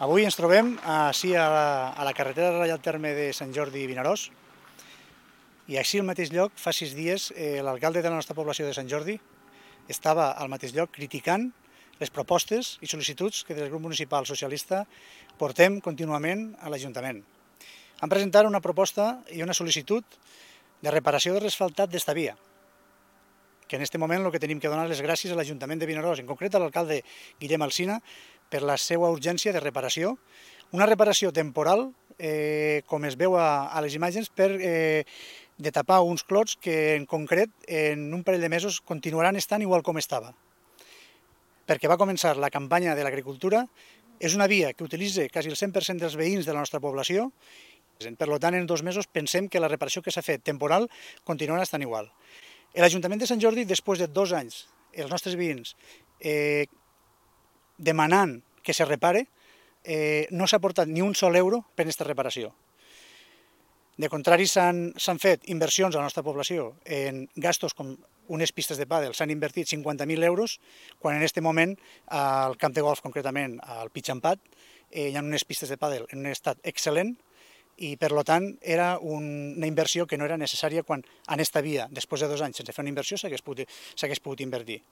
Avui ens trobem així a la carretera de Reial Terme de Sant Jordi i Vinaròs, i així al mateix lloc, fa 6 dies, l'alcalde de la nostra població de Sant Jordi estava al mateix lloc criticant les propostes i sol·licituds que des del grup municipal socialista portem contínuament a l'Ajuntament. Han presentat una proposta i una sol·licitud de reparació de l'asfaltat d'esta via, que en aquest moment el que tenim que donar les gràcies a l'Ajuntament de Vinaròs, en concret a l'alcalde Guillem Alsina, per la seva urgència de reparació, una reparació temporal, com es veu a les imatges, de tapar uns clots que en concret en un parell de mesos continuaran estant igual com estava. Perquè va començar la campanya de l'agricultura, és una via que utilitza quasi el 100% dels veïns de la nostra població. Per tant, en 2 mesos pensem que la reparació que s'ha fet temporal continuarà estant igual. L'Ajuntament de Sant Jordi, després de 2 anys, els nostres veïns demanant que se repare, no s'ha aportat ni un sol euro per aquesta reparació. De contrari, s'han fet inversions a la nostra població en gastos com unes pistes de pàdel, s'han invertit 50.000 euros, quan en aquest moment al camp de golf, concretament al Pitxampat, hi ha unes pistes de pàdel en un estat excel·lent, i per tant era una inversió que no era necessària quan en aquesta via, després de 2 anys sense fer una inversió, s'hagués pogut invertir.